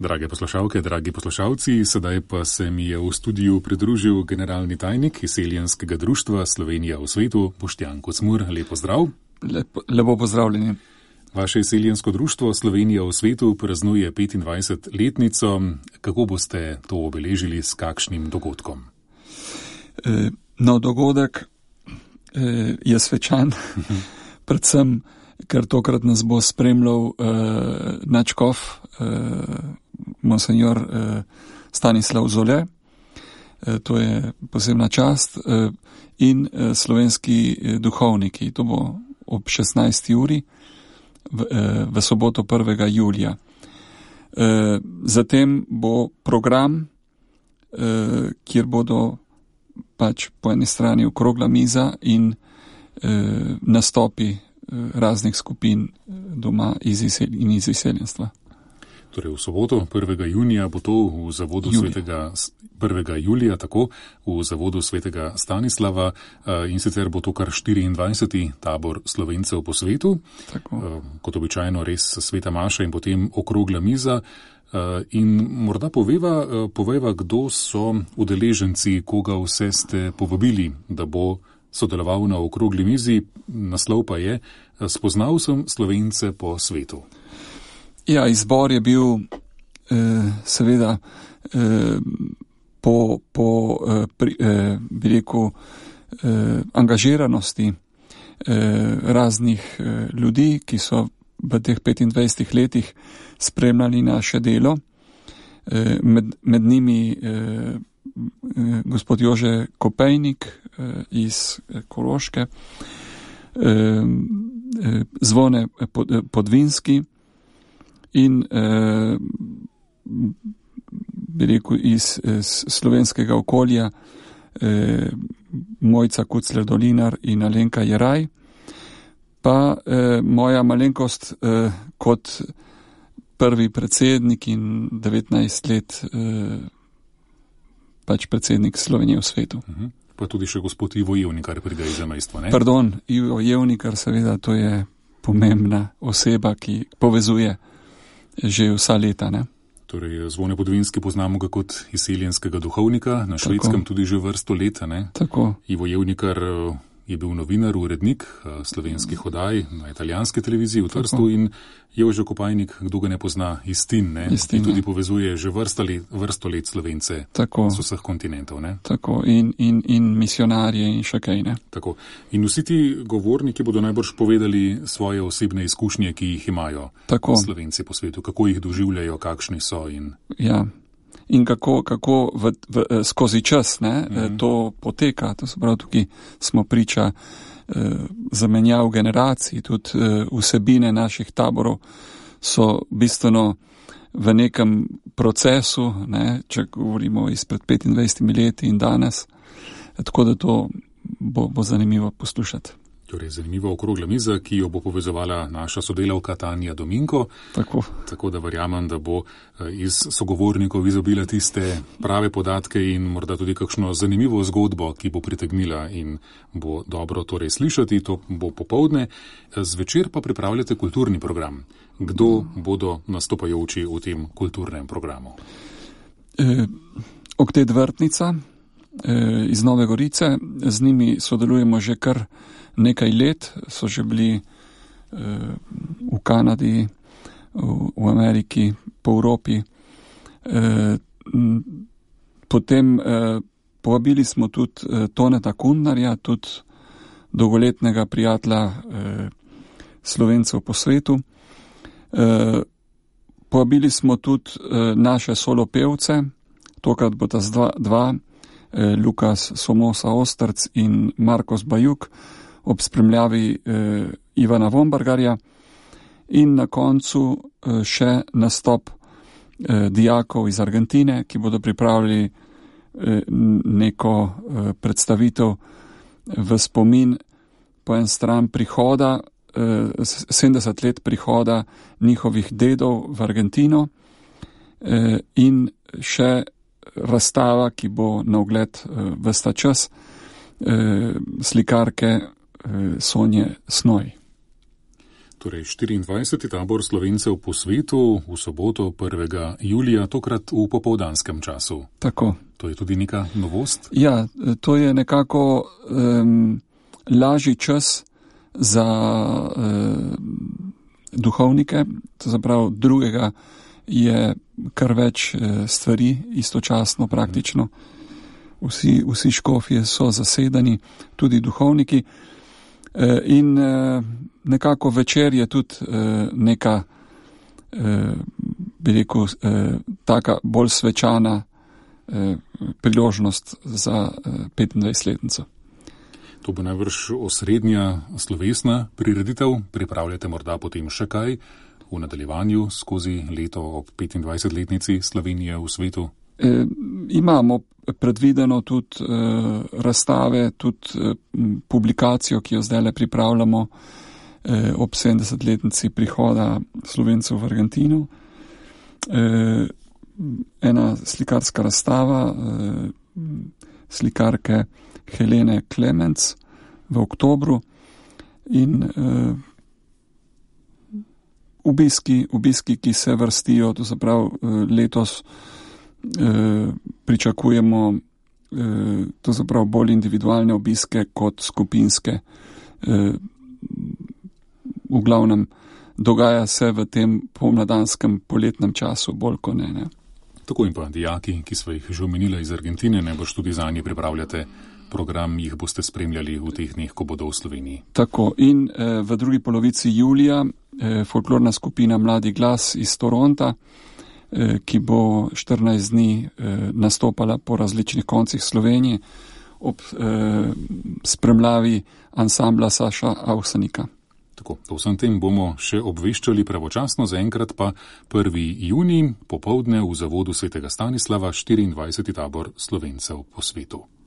Drage poslušalke, dragi poslušalci, sedaj pa se mi je v studiu pridružil generalni tajnik Izseljenskega društva Slovenija v svetu, Boštjan Kocmur. Lep pozdrav. Lepo pozdravljeni. Vaše Izseljensko društvo Slovenija v svetu praznuje 25-letnico. Kako boste to obeležili, s kakšnim dogodkom? Dogodek je svečan, predvsem, ker tokrat nas bo spremljal nadškof, monsenjor Stanislav Zole, to je posebna čast, in slovenski duhovniki. To bo ob 16. uri v soboto 1. julija. Zatem bo program, kjer bodo pač po eni strani okrogla miza in nastopi raznih skupin doma iz izseljenstva. Torej v soboto 1. junija bo to v zavodu 1. julija, tako, v zavodu svetega Stanislava, in sicer bo to kar 24. tabor Slovencev po svetu. Tako. Kot običajno res sveta maša in potem okrogla miza. In morda poveva, kdo so udeleženci, koga vse ste povabili, da bo sodeloval na okrogli mizi. Naslov pa je Spoznal sem Slovence po svetu. Ja, izbor je bil seveda bi rekel, angažiranosti raznih ljudi, ki so v teh 25 letih spremljali naše delo. Med njimi gospod Jože Kopejnik iz Koroške, Zvone Podvinski in bi rekel iz slovenskega okolja Mojca Kucler-Dolinar in Alenka Jeraj, pa moja malenkost kot prvi predsednik in 19 let pač predsednik Slovenije v svetu. Pa tudi še gospod Ivo Jevnikar pride iz zamejstva, ne? Pardon, Ivo Jevnikar, seveda, to je pomembna oseba, ki povezuje že vsa leta, ne? Torej, Zvone Podvinski poznamo ga kot izseljenskega duhovnika, na Švedskem tudi že vrsto leta, ne? Tako. Ivo Jevnikar je bil novinar, urednik slovenskih oddaj na italijanski televiziji v Trstu. In Jože Kopajnik, kdo ga ne pozna, iz Tin, ne? Ki tudi povezuje že vrsto let Slovence z vseh kontinentov, ne? Tako, in misionarje in še kaj, ne? Tako. In vsi ti govorniki bodo najbrž povedali svoje osebne izkušnje, ki jih imajo Slovenci po svetu, kako jih doživljajo, kakšni so in... Ja. In kako skozi čas, ne, to poteka. To se pravi, tukaj smo priča zamenjav generacij, tudi vsebine naših taborov so bistveno v nekem procesu, ne, če govorimo izpred 25 leti in danes. Tako da to bo zanimivo poslušati. Torej, zanimiva okrogla miza, ki jo bo povezovala naša sodelavka Tanja Dominko. Tako da verjamem, da bo iz sogovornikov izobila tiste prave podatke in morda tudi kakšno zanimivo zgodbo, ki bo pritegnila in bo dobro torej slišati. To bo popoldne. Zvečer pa pripravljate kulturni program. Kdo bodo nastopajoči v tem kulturnem programu? Oktet Vrtnica iz Nove Gorice. Z njimi sodelujemo že kar nekaj let, so že bili v Kanadi, v Ameriki, po Evropi. Potem povabili smo tudi Toneta Kundnarja, tudi dolgoletnega prijatelja Slovencev po svetu. Povabili smo tudi naše solopevce, tokrat bo ta dva, Lukas Somosa Ostrc in Markos Bajuk, ob spremljavi Ivana Vombargarja, in na koncu še nastop dijakov iz Argentine, ki bodo pripravili neko predstavitev v spomin po en stran prihoda, 70 let prihoda njihovih dedov v Argentino, in še razstava, ki bo na ogled ves ta čas, slikarke Sonje Snoj. Torej 24. tabor Slovencev po svetu v soboto 1. julija, tokrat v popoldanskem času. Tako. To je tudi neka novost? Ja, to je nekako lažji čas za duhovnike, to zapravo drugega je kar več stvari istočasno praktično. Vsi škofje so zasedani, tudi duhovniki. In nekako večer je tudi neka, bi rekel, taka bolj svečana priložnost za 25-letnico. To bo najbrž osrednja slovesna prireditev. Pripravljate morda potem še kaj v nadaljevanju skozi leto ob 25-letnici Slovenije v svetu? Imamo predvideno tudi razstave, tudi publikacijo, ki jo zdaj pripravljamo ob 70-letnici prihoda Slovencev v Argentino. Ena slikarska razstava slikarke Helene Klemenc v oktobru in obiski, ki se vrstijo, to se pravi letos pričakujemo to se pravi bolj individualne obiske kot skupinske. V glavnem dogaja se v tem pomladanskem poletnem času bolj kot ne. Tako in pa dijaki, ki smo jih že omenili iz Argentine, ne boš tudi zanje pripravljate program, jih boste spremljali v teh dneh, ko bodo v Sloveniji. Tako in v drugi polovici julija folklorna skupina Mladi glas iz Toronta, ki bo 14 dni nastopala po različnih koncih Slovenije ob spremljavi ansambla Saša Avsenika. Tako, o vsem tem bomo še obveščali pravočasno, zaenkrat pa 1. junij popoldne v zavodu svetega Stanislava 24. tabor Slovencev po svetu.